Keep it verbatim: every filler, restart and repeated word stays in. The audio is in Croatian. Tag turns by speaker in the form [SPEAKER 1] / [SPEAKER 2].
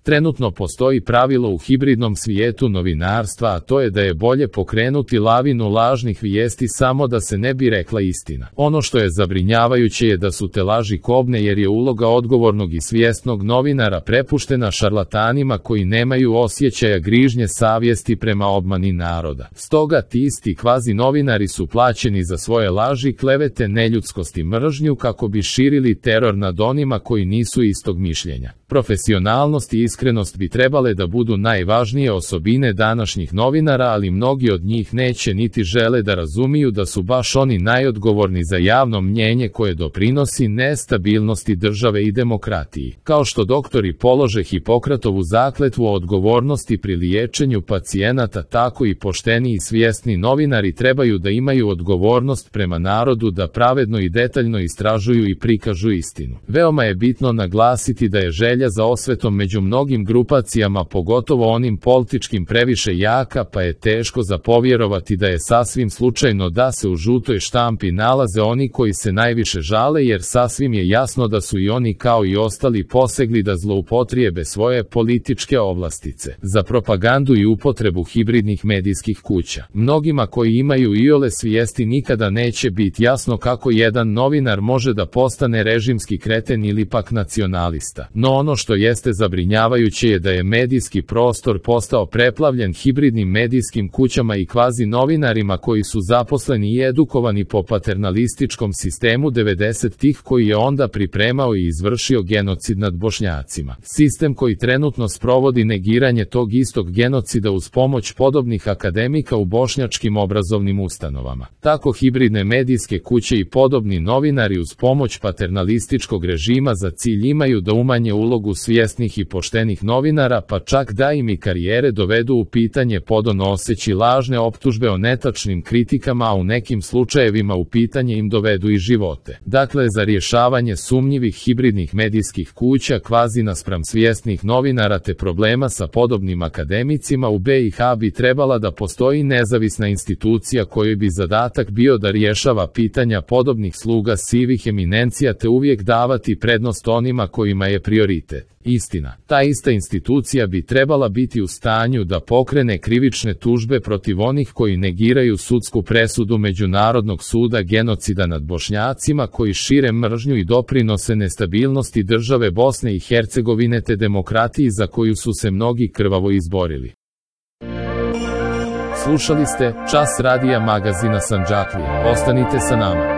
[SPEAKER 1] Trenutno postoji pravilo u hibridnom svijetu novinarstva, a to je da je bolje pokrenuti lavinu lažnih vijesti samo da se ne bi rekla istina. Ono što je zabrinjavajuće je da su te laži kobne jer je uloga odgovornog i svjesnog novinara prepuštena šarlatanima koji nemaju osjećaja grižnje savjesti prema obmani naroda. Stoga ti isti kvazi novinari su plaćeni za svoje laži, klevete, neljudskost i mržnju kako bi širili teror nad onima koji nisu istog mišljenja. Profesionalnost i iskrenost bi trebale da budu najvažnije osobine današnjih novinara, ali mnogi od njih neće niti žele da razumiju da su baš oni najodgovorni za javno mnjenje koje doprinosi nestabilnosti države i demokratiji. Kao što doktori polože Hipokratovu zakletvu o odgovornosti pri liječenju pacijenata, tako i pošteni i svjesni novinari trebaju da imaju odgovornost prema narodu da pravedno i detaljno istražuju i prikažu istinu. Veoma je bitno naglasiti da je želja za osvetom među mnogim grupacijama, pogotovo onim političkim, previše jaka, pa je teško za povjerovati da je sasvim slučajno da se u žutoj štampi nalaze oni koji se najviše žale, jer sasvim je jasno da su i oni kao i ostali posegli da zloupotrijebe svoje političke ovlastice za propagandu i upotrebu hibridnih medijskih kuća. Mnogima koji imaju iole svijesti nikada neće biti jasno kako jedan novinar može da postane režimski kreten ili pak nacionalista. No ono što jeste zabrinjavajuće je da je medijski prostor postao preplavljen hibridnim medijskim kućama i kvazi novinarima koji su zaposleni i edukovani po paternalističkom sistemu devedesetih koji je onda pripremao i izvršio genocid nad Bošnjacima. Sistem koji trenutno sprovodi negiranje tog istog genocida uz pomoć podobnih akademika u bošnjačkim obrazovnim ustanovama. Tako hibridne medijske kuće i podobni novinari uz pomoć paternalističkog režima za cilj imaju da umanje ulogu svjesnih i poštenih novinara, pa čak da im i karijere dovedu u pitanje podonoseći lažne optužbe o netačnim kritikama, a u nekim slučajevima u pitanje im dovedu i živote. Dakle, za rješavanje sumnjivih hibridnih medijskih kuća kvazi naspram svjesnih novinara te problema sa podobnim akademicima u be i ha bi trebala da postoji nezavisna institucija kojoj bi zadatak bio da rješava pitanja podobnih sluga sivih eminencija te uvijek davati prednost onima kojima je prioritet istina. Ta ista institucija bi trebala biti u stanju da pokrene krivične tužbe protiv onih koji negiraju sudsku presudu Međunarodnog suda genocida nad Bošnjacima, koji šire mržnju i doprinose nestabilnosti države Bosne i Hercegovine te demokratiji za koju su se mnogi krvavo izborili. Slušali ste Čas radija magazina Sandžaklija. Ostanite sa nama.